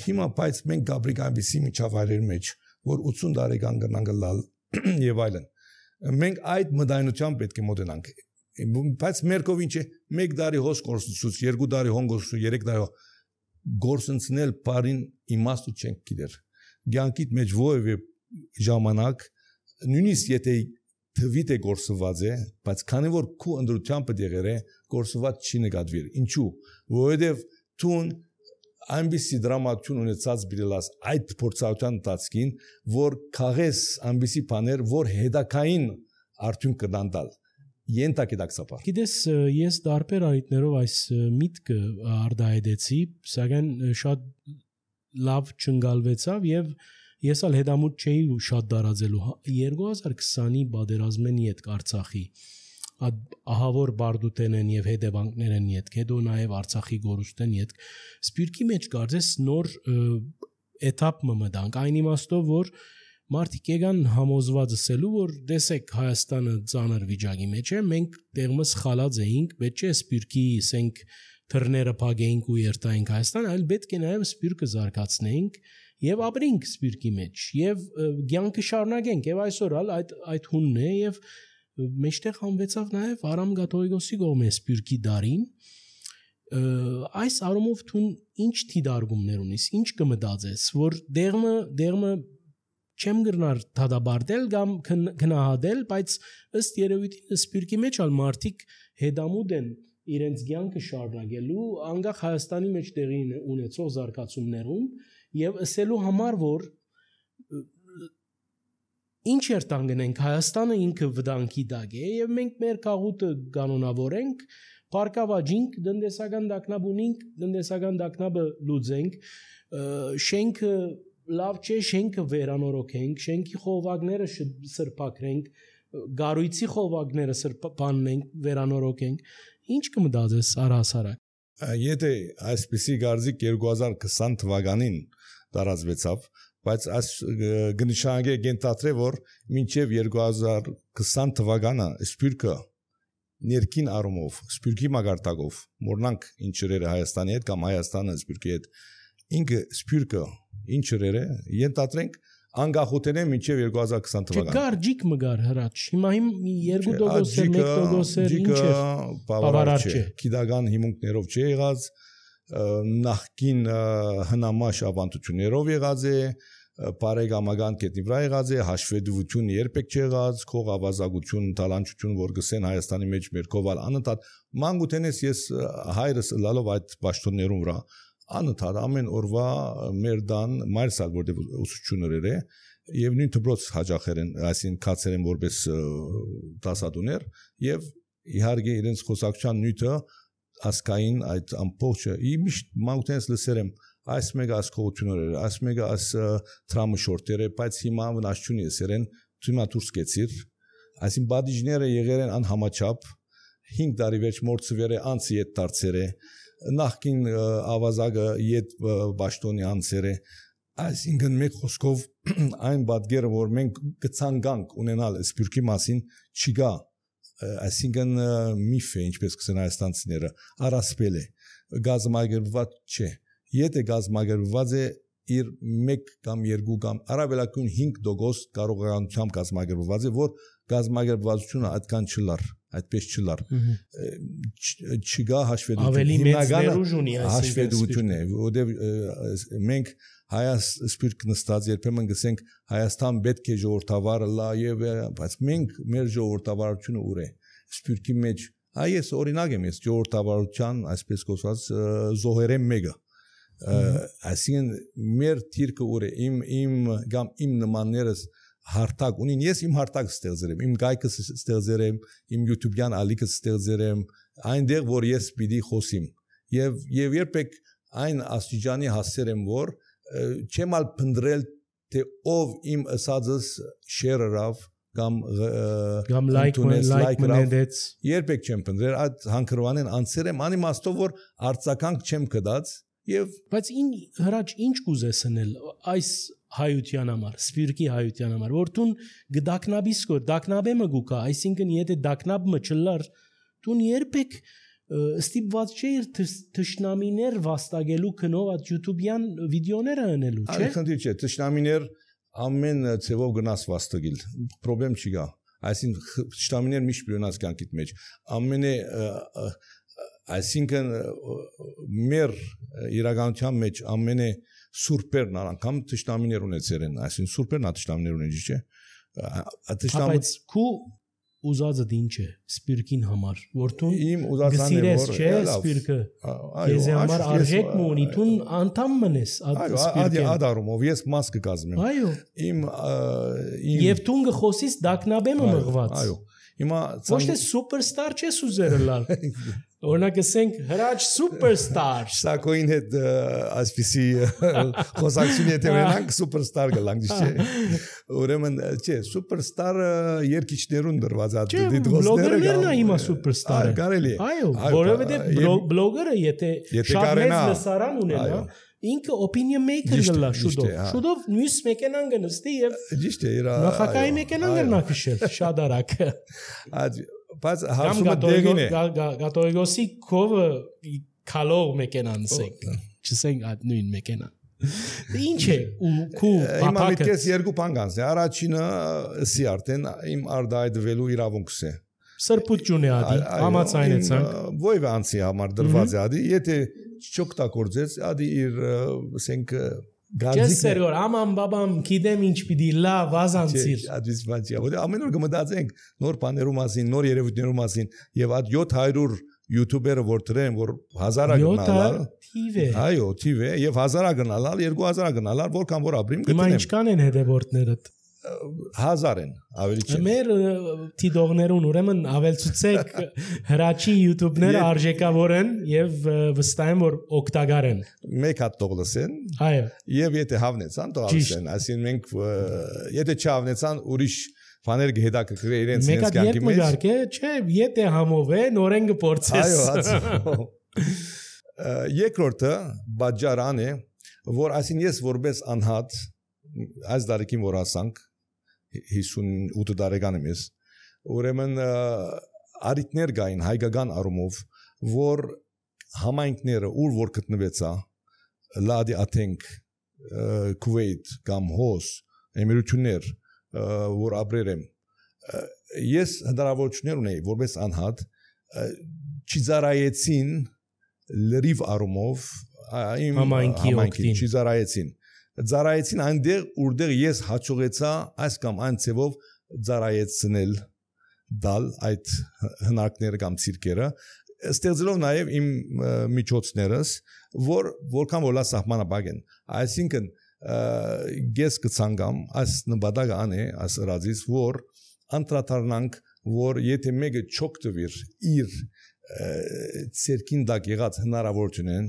հիմա բայց մենք գաբրիկ այնպեսի միջավայրերի մեջ որ 80 տարեկան կնանք լալ եւ այլն մենք այդ մտայնությամբ պետք է մոտենանք բայց մեր կողմին չէ 1 տարի հոս գործունեություն 2 տարի հոն գործունեություն 3 տարի գործընծնել բարին իմաստը չենք գիտեր ցանկիտ մեջ ովևէ ժամանակ նույնիսկ եթե թվիտ է գործված է բայց քանի որ քու ընդրությամբ դեղեր է գործված չի նկատվիր ինչու որովհետև տուն այնպիսի դրամատություն ունեցած բիլաս այդ փորձառության տածքին որ քաղես այնպիսի բաներ որ հետակային արդյունք կդանդալ Ենթակետակցապար Գիտես ես դարբեր արիտներով այս միտքը արդահայտեցի սակայն շատ լավ չընկալվեցավ եւ ես ալ հետամուտ չէի շատ դարածելու 2020-ի բادرազմենի հետ Արցախի ահավոր բարդուտենեն եւ հետևանքներն իդ հետո նաեւ Արցախի գորուստեն իդ սպիրկի մեջ կարծես նոր էտապ մտանք այն իմաստով որ Մարդիկ եկան համոզված ասելու որ տեսեք Հայաստանը ծանր վիճակի մեջ է մենք տեղմս խալած էինք պետք չէ սպիրկի ասենք թռները փագեինք ու երթայինք Հայաստան այլ պետք է նաև սպիրկը զարգացնեինք եւ ապրենք սպիրկի մեջ եւ ցանկը շարունակենք եւ այսօր այդ հունն է եւ մեջտեղ համվեցավ նաև Արամ Գաթողիկոսի կողմէ սպիրկի դարին այս առումով թուն ինչ թիդարգումներ ունիս ինչ կմտածես որ դեղմը չեմ գրնար դադաբարտել կամ քնահատել, բայց ըստ երևույթին սպիրկի մեջ ալ մարդիկ հետամուտ են իրենց ցանկը շարունակելու անկախ Հայաստանի մեջ տեղի ունեցող զարգացումներում եւ ասելու համար որ ինչ երթանգնենք Հայաստանը ինքը վտանգի տակ է եւ մենք մեր քաղուտը կանոնավորենք Պարկավաջինք դնդեսական դակնաբունինք դնդեսական դակնաբը լուծենք շենքը լավ չէ շենքը վերանորոգենք շենքի խողովակները սրբակրենք գարույցի խողովակները սրբանենք վերանորոգենք ինչ կմտածես առհասարակ եթե այսպիսի գարձիկ 2020 թվականին տարածվեցավ բայց այս գնշանգե գենտատրե որ մինչև 2020 թվականը սպիրկը ներքին առումով սպիրկի մագարտակով մորնանք ինչերերը Հայաստանի հետ կամ Հայաստանը սպիրկի հետ ինքը սպիրկը ինչերերը ենթադրենք անգախութենեն մինչև 2020 թվական Չկար մգար հրաչ հիմա 2% 1% ինչ է բավարար չէ գիտական հիմունքներով չի եղած նախքին հնամաշ ավանդություններով եղած է բարեկամական կետնի վրա եղած է, հաշվետվություն երբեք չեղած, քող ավազակություն, տալանչություն, որ գսեն Հայաստանի մեջ մեր կովալ անընդհատ մանկութենես ես հայրս լալով այդ պաշտոններում վրա անընդհատ ամեն օրվա մեր դան մայրսալ որտեղ ուսուցչուներ է եւ նույն դպրոց հաջախեր են, այսին կացեր են որպես դասադուներ եւ իհարկե իրենց խոսակցության նյութը ասկային այդ ամբողջը իմիշտ մանկութենս լսերեմ այս մեկը ասկողություններ այս մեկը աս տրամը շորտերը բայց հիմա վնասչունի էսերեն ցույմա դուրս կեցիր այսին բադիջները եղել են անհամաչափ 5 տարի վերջ մորցվերը անցի ետ դարձեր է նախքին ավազակը ետ բաշտոնի անցեր է այսինքն մեկ խոսքով այն բադգերը որ մենք կցանկանք ունենալ սպյուրքի մասին չկա այսինքն միֆ է ինչպես կսեն հայաստանցիները առասպել է գազամագերված չէ եթե գազամագերված է իր 1 կամ 2 կամ առավելագույն 5% կարողականությամբ գազամագերված է որ գազամագերվածությունը այդքան չլար այդպես չլար չգա հաշվետվություն ավելի մեծ ներուժ ունի հաշվետվություն է որտեղ մենք հայաց սպիրտ նստած երբեմն գսենք Հայաստան պետք է ժողովրդավարը լա եւ բայց մենք մեր ժողովրդավարությունը ուր է սպիրտի մեջ այս օրինակ եմ ես ժողովրդավարության այսպես կոչված զոհերեն մեկը այսինքն մեր թիրքը ուր է իմ կամ իմ նմաններս հարթակ ունին ես իմ հարթակը ստեղծել եմ իմ գայքը ստեղծել եմ իմ YouTube-յան ալիքը ստեղծել եմ այնտեղ որ ես պիտի խոսիմ եւ երբեք այն աստիճանի հասել եմ որ չեմ ալ փնդրել թե ով իմ ասածս share-ավ կամ like մնեց երբեք չեմ փնդրել այդ հանքրվանեն անցել եմ անիմաստով որ արձականք չեմ կդած եւ բայց հրաչ ինչ կուզես անել այս հայության համար սպիրկի հայության համար որ տուն գդակնաբիս կոր դակնաբեմը գուկա այսինքն եթե դակնաբը չլար տուն երբեք ստիպված չէ իր թշնամիներ վաստակելու քնով այդ YouTube-յան վիդեոները անելու չէ այլ չէ թշնամիներ ամեն ցևով գնաս վաստակել խնդրեմ չկա այսինքն թշնամիներ միշտ բյոնաս կյանքիդ մեջ ամենը այսինքն մեր իրականության մեջ ամենը սուրբերն անգամ թշնամիներ ունեցել են այսինքն սուրբերն ա թշնամիներ ունեն չէ բայց քու ուզածը ինչ է սպիրկին համար որտուն իմ ուզածն է որ չէ սպիրկը ես համար արժեք ունի տուն անդամ մնես սպիրկին ադարումով ես մաս կկազմեմ այո իմ եւ տուն գխոսից դակնաբեմը մղված այո հիմա ոչ թե սուպերստար չես ուզերը լալ օրինակ ասենք հրաչ սուպերստար սակոին հետ այսպիսի խոսակցություն եթե ունենանք սուպերստար գլանք չէ ուրեմն չէ սուպերստարը երկիչներուն դրված է բլոգերներն է հիմա սուպերստարը կարելի այո որովհետեւ բլոգերը եթե շատ մեծ լսարան ունենա ինքը opinion maker գլա շուտով նյուս մեքենան գնստի եւ ճիշտ է նախակայի մեքենան գնա քշել շատ արագ բայց հարցումը դեղին է գատոյգոսի կովը քալող մեքենան չսենք այդ նույն մեքենան ինչ է ու քու հիմա միտքես երկու բան կանցնի առաջինը սի արդեն իմ արդայդվելու իրավունքս է սրբություն է ադի համացայնեցանք ոյվ անցի համար դրված է ադի եթե չօգտագործես ադի իր ասենք Ջեսերոր աման բաբամ գիտեմ ինչ պիտի լավ ազանցիր ադիս բանջի որ ամեն օր կմտածենք նոր բաներու մասին նոր երևույթներու մասին եւ այդ 700 յութուբերը որ դրեն որ 1000-ը գնալալ այո թիվ է եւ 1000-ը գնալալ 2000-ը գնալալ որքան որ ապրիմ գտնեմ հիմա ինչքան են հետևորդներդ 1000 են ավելի չէ մեր թիդողներուն ուրեմն ավելցուցեք հրաչի YouTube-ները արժեքավոր են եւ վստահ եմ որ օգտակար են մեկ հատ տողլսեն այո եւ եթե հավնեցան տողլսեն այսին մենք եթե չհավնեցան ուրիշ բաներ կհետաքրքրի իրենց կյանքի մեջ մեկարգե չէ եթե համով է նորեն կփորձես այո երկրորդը բաժարան է որ այսին ես որպես անհատ այս դարեկին որ ասանք 58 տարեկան եմ ես ուրեմն արիտներ գային հայկական առումով որ համայնքները ուր որ գտնվեցա լադի աթենք Քուվեյթ կամ հոս էմիրություններ որ ապրել եմ ես հնարավորություններ ունեի որպես անհատ չիզարայեցին լրիվ առումով իմ համայնքին չիզարայեցին ծառայեցին այնտեղ որտեղ ես հաջողեցա այս կամ այն ցևով ծառայեցնել դալ այդ հնարքները կամ ցիրկերը ստեղծելով նաև իմ միջոցներս որքան որ լա սահմանապակ են այսինքն ես կցանկամ այս նպատակը անե այս ռադիս որ անդրադառնանք որ եթե մեկը չօգտվիր իր ցերկին դակ եղած հնարավորությունն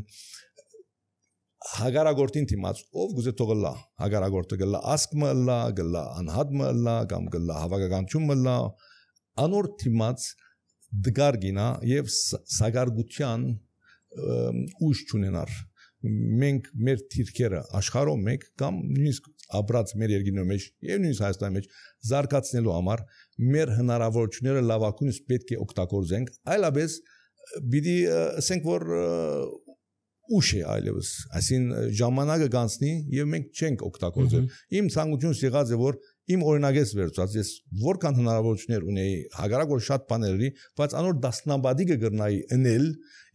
հագարագորտին դիմաց ով գուզե թողլա հագարագորտը գլա ասկմը լա գլա անհատմը լա կամ գլա հավաքականությունը լա անոր դիմաց դգարգինա եւ սագարգության ուժ չունենար մենք մեր թիրքերը աշխարհով մեկ կամ նույնիսկ ապրած մեր երկրի մեջ եւ նույնիսկ Հայաստանի մեջ զարգացնելու համար մեր հնարավորությունները լավակույնս պետք է օգտագործենք այլապես պիտի ասենք որ ուշ է այլևս այսին ժամանակը գանցնի եւ մենք չենք օգտագործել իմ ցանկությունս եղած է որ իմ օրինակես վերցած ես որքան հնարավորություններ ունեի հագարակ որ շատ բաների բայց անոր դասնաբադիկը գրնայի ընել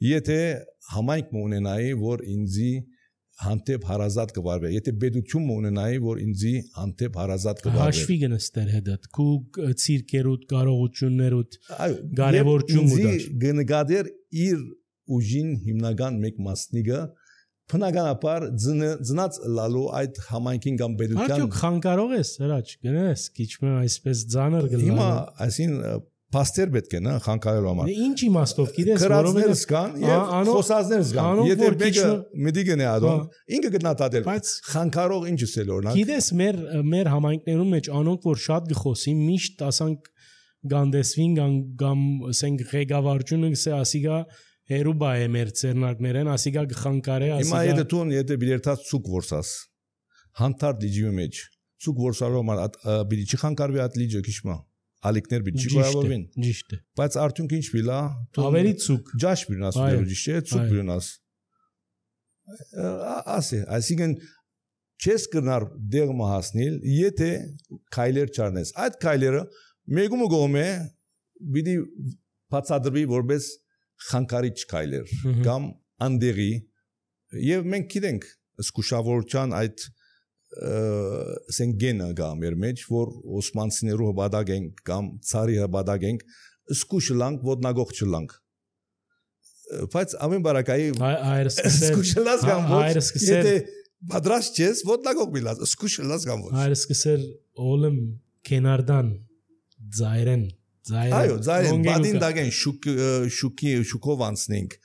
եթե համայնք ունենայի որ ինձի հանդեպ հարազատ կվարվի եթե պետություն ունենայի որ ինձի հանդեպ հարազատ կվարվի հաշվի գնստեր հետդ քու ցիրկերուտ կարողություններուտ կարևորություն ուտար գնգադեր իր ուժին հիմնական մեկ մասնիկը բնականաբար ծնած լալու այդ համայնքին կամ պետության Արդյոք խանգարող ես հրաչ գնես քիչմը այսպես ծանր գլա Հիմա այսին պաստեր պետք է նա խանգարելու համար Ինչ իմաստով գիտես որովհետև կան եւ խոսածներ կան եթե մեկը միտի գնա ադոն ինքը գտնատատել բայց խանգարող ինչս է օրինակ Գիտես մեր համայնքներում մեջ անոնք որ շատ գխոսի միշտ ասանք գանդեսվին կամ ասենք ղեկավարությունը գսե ասիգա Հերուբա է մեր ծերնակներեն, ասիգա գխանկարե, ասիգա Հիմա եթե բիլերտած ցուկ որսաս, հանդարտ լիջի մեջ, ցուկ որսալու համար բիլի չի խանկարվի այդ լիջը քիչմա, ալիքներ բիլի չի գոյավորվին Ճիշտ է Բայց արդյունք ինչ բիլա, Ավելի ցուկ Ջաշ բիլնաս ուներու ճիշտ է, ցուկ բիլնաս Ասի, այսինքն չես կրնար դեղը հասնել, եթե քայլեր չառնես Այդ քայլերը մեկումը գոմ է, բիլի բացադրվի որպես խանկարիչ քայլեր կամ անդերի եւ մենք գիտենք զգուշավորության այդ սենգենը գա մեր մեջ որ օսմանցիներու հբադակ են կամ ցարի հբադակ են զգուշ լանք ոտնագող չլանք բայց ամեն բարակայի զգուշլաս կամ ոչ եթե բադրաշ չես ոտնագող բիլած զգուշլաս կամ ոչ այրսկսեր օլմ կենարդան ծայրեն Այո, ձայրեն, բադին դագեն շուկով անցնենք,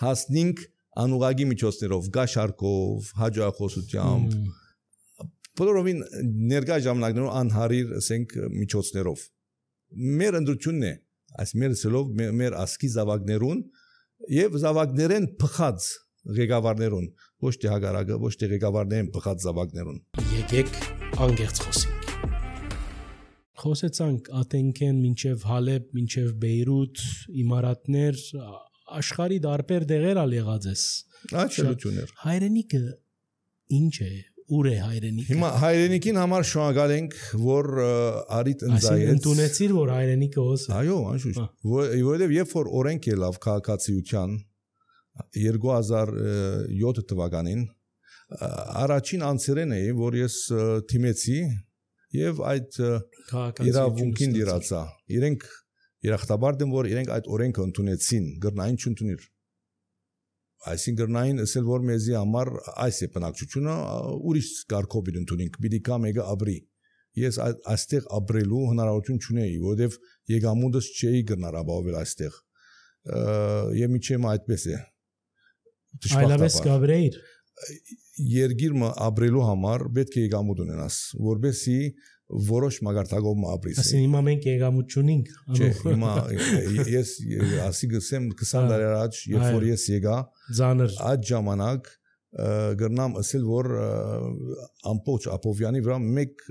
հասնենք անուղագի միջոցներով, գաշարկով, հաջողախոսությամբ, բոլորովին ներկա ժամանակներով անհարիր ասենք միջոցներով։ Մեր ընդրությունն է, այս մեր սելով մեր ասկի զավակներուն եւ զավակներեն փխած ղեկավարներուն, ոչ թե հագարակը, ոչ թե ղեկավարներեն փխած զավակներուն։ Եկեք անգերց խոսենք։ Խոսեցանք Աթենքեն մինչև Հալեբ, մինչև Բեյրութ, իմարատներ, աշխարհի դարբեր դեղեր ալ եղած ես։ Աշելություններ։ Հայրենիքը ինչ է, ուր է հայրենիքը։ Հիմա հայրենիքին համար շնորհակալ ենք, որ արիտ ընձայեց։ Այսինքն ընդունեցիր, որ հայրենիքը ոս է։ Այո, անշուշտ։ Որովհետև երբ որ օրենք ելավ քաղաքացիության 2007 թվականին, առաջին անձերեն էի, որ ես թիմեցի Եվ այդ իրավունքին դիրացա իրենք երախտաբար դեմ որ իրենք այդ օրենքը ընդունեցին գրնային չընդունիր այսին գրնային ասել որ մեզի համար այս է բնակչությունը ուրիշ կարգով ընդունենք պիտի կա մեկը ապրի ես այստեղ ապրելու հնարավորություն չունեի որովհետև եկամուտս չէի գրնար ապահովել այստեղ եւ միջեմ այդպես է այլապես կաբրեիր Երգիրը ապրելու համար պետք է եկամուտ ունենաս, որովհետեւ որոշ մագարտակով ապրես։ Այսինքն հիմա մենք եկամուտ չունենք։ Չէ, հիմա ես ասի գսեմ 20 տարի առաջ, երբ որ ես եկա, այդ ժամանակ գրնամ ասել որ ամբողջ Ապովյանի վրա մեկ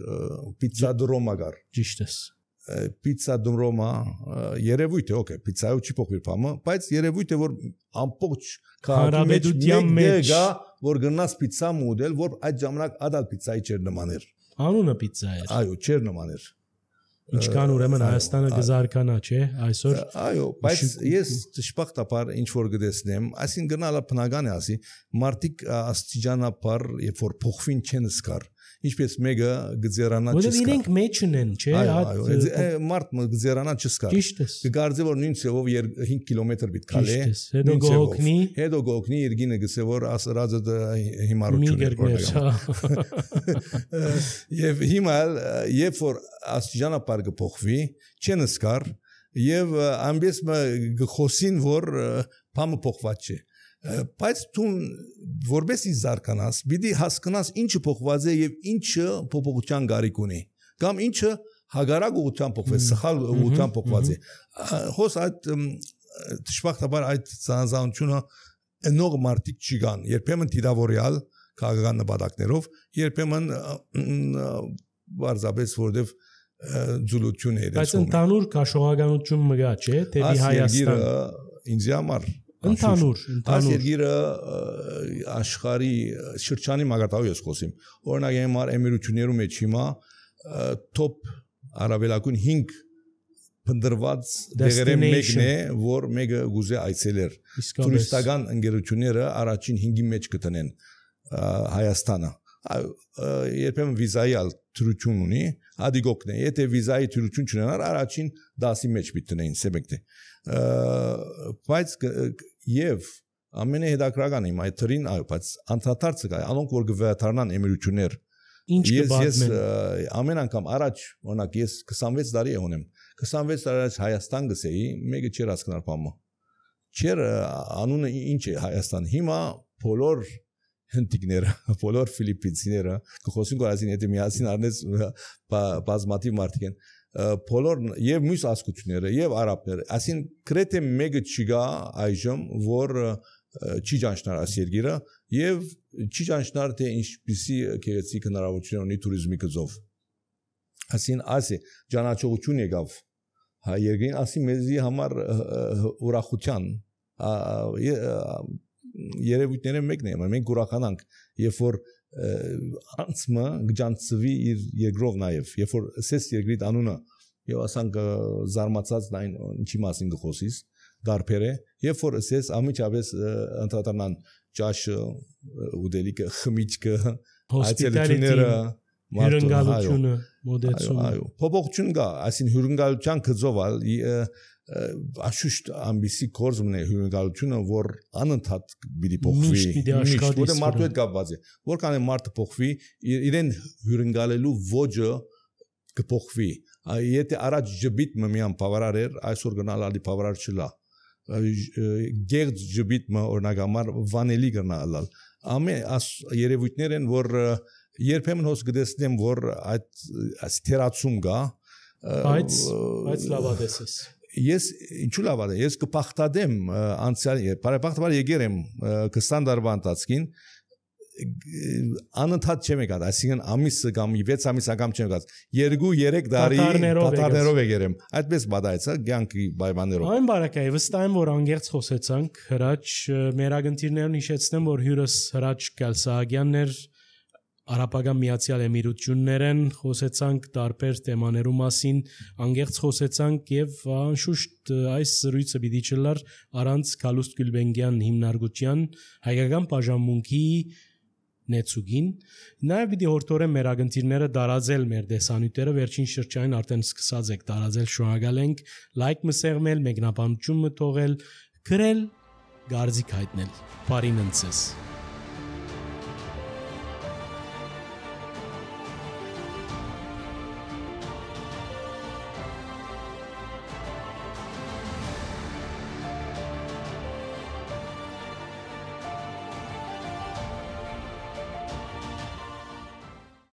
պիցա դրոմա կար։ Ճիշտ է։ Պիցա դրոմա երևույթ է, օքեյ, պիցայով չի փոխվի բամը, բայց երևույթ է որ ամբողջ հանրապետության մեջ գա որ գնաս պիցա մոդել որ այդ ժամանակ ադալ պիցայի չեր նման էր անունը պիցա էր այո չեր նման էր Ինչքան ուրեմն Հայաստանը գզարկանա, չէ, այսօր։ Այո, բայց ես ճշմարտաբար ինչ որ գտեսնեմ, այսին գնալը բնական է, ասի, մարդիկ աստիճանաբար, երբ որ փոխվին չեն զգար, ինչպես մեկը գզերանա չզգար։ Որովհետև իրենք մեջ ունեն, չէ, մարդ գզերանա չզգար։ Կգարձե որ նույն ցեվով 5 կիլոմետր պիտի քալե։ Հետո գողնի իրգինը գսե որ ասրածը հիմարություն է։ Եվ հիմա երբ որ աստիճանաբար կփոխվի, չեն զգար եւ ամբես գխոսին որ բամը փոխված չէ։ Բայց դու որպես զարգանաս, պիտի հասկանաս ինչը փոխված է եւ ինչը փոփոխության գարիք ունի, կամ ինչը հագարակ ուղղությամբ փոխված, սխալ ուղղությամբ փոխված է։ Հոս այդ ճշմարտաբար այդ ցանցանությունը նոր մարտիկ չկան, երբեմն դիդավորյալ քաղաքական նպատակներով, երբեմն բարձաբես որտեվ ձուլություն է։ Բայց ընդհանուր քաշողականություն մգա, չէ, դեպի Հայաստան։ Ինձ համար Ընդհանուր այս երկիրը աշխարհի շրջանի մագարտավի ես խոսիմ օրինակ հիմա էմիրություններում մեջ հիմա top արաբելակուն 5 փնդրված դեղերի մեկն է որ մեկը գուզե այցելեր տուրիստական ընկերությունները առաջին 5-ի մեջ կտնեն Հայաստանը երբեմն վիզայի թրություն ունի ադիգոկն է եթե վիզայի թրություն չունենար առաջին 10-ի մեջ պիտի սեբեկտե բայց եւ ամենահետաքրքրականը իմ այդ թրին այո բայց անդադարձը կա անոնք որ գվեթարնան էմիրություններ ես ամեն անգամ առաջ օրինակ ես 26 տարի ունեմ 26 տարի առաջ Հայաստան գսեի մեկը չեր հասկանում բամը չեր անունը ինչ է Հայաստան հիմա բոլոր հնդիկները բոլոր ֆիլիպինցիները կխոսին գարազին եթե միասին առնես բազմաթիվ մարդիկ են բոլոր եւ մյուս ազգությունները եւ արաբները ասին գրեթե մեկը չկա այժմ որ չի ճանչնար այս երկիրը եւ չի ճանչնար թե ինչպիսի գեղեցիկ հնարավորություն ունի туриզմի գծով ասին ասի ճանաչողություն եկավ հայ երկրին ասի մեզի համար ուրախության երևույթները մեկն է մենք ուրախանանք երբ որ անցմը գջանցվի իր երկրով նաև երբ որ սես երկրիդ անունը եւ ասանք զարմացած նայն ինչի մասին գխոսիս դարբերը երբ որ սես ամիջապես ընդհանրան ճաշը ուդելիկը խմիչքը այցելությունները հյուրընկալությունը մոդեցումը այո փոփոխություն կա այսին հյուրընկալության գծովալ աշուշտ ամբիսի կորզմն է հյուրընկալությունը որ անընդհատ պիտի փոխվի որը մարդու հետ կապված է որքան է մարդը փոխվի իրեն հյուրընկալելու ոճը կփոխվի եթե առաջ ջբիտ միան բավարար էր այսօր գնալ ալի բավարար չլա գերջ ջբիտը օրինակ վանելի գնալ ամեն երևույթներ են որ երբեմն հոս գտեսնեմ որ այդ թերացում կա բայց լավադեսես ես ինչու լավ է ես կփախտադեմ անցյալ բարեբախտաբար եկեր եմ 20 տարվա ընթացքին անընդհատ չեմ եկած այսինքն ամիսը կամ 6 ամիս անգամ չեմ եկած 2-3 տարի պատարներով եկեր եմ այդպես բադայցա ցանկի բայբաներով այն բարակայ վստահ եմ որ անգերց խոսեցանք հրաչ մեր ագընտիրներն հիշեցնեմ որ հյուրս հրաչ Կալսահագյանն էր Արաբական Միացյալ Էմիրություններն խոսեցանք տարբեր թեմաներու մասին անգերց խոսեցանք եւ անշուշտ այս զրույցը պիտի չլար առանց Գալուստ Գյուլբենգյան հիմնարկության հայկական բաժանմունքի նեցուգին նաեւ պիտի հորտորեն մեր ագընտիրները դարաձել մեր դեսանյութերը վերջին շրջանին արդեն սկսած եք դարաձել շնորհակալ ենք լայք մսեղմել մեկնաբանություն մտողել գրել գարձիկ հայտնել բարին ընցես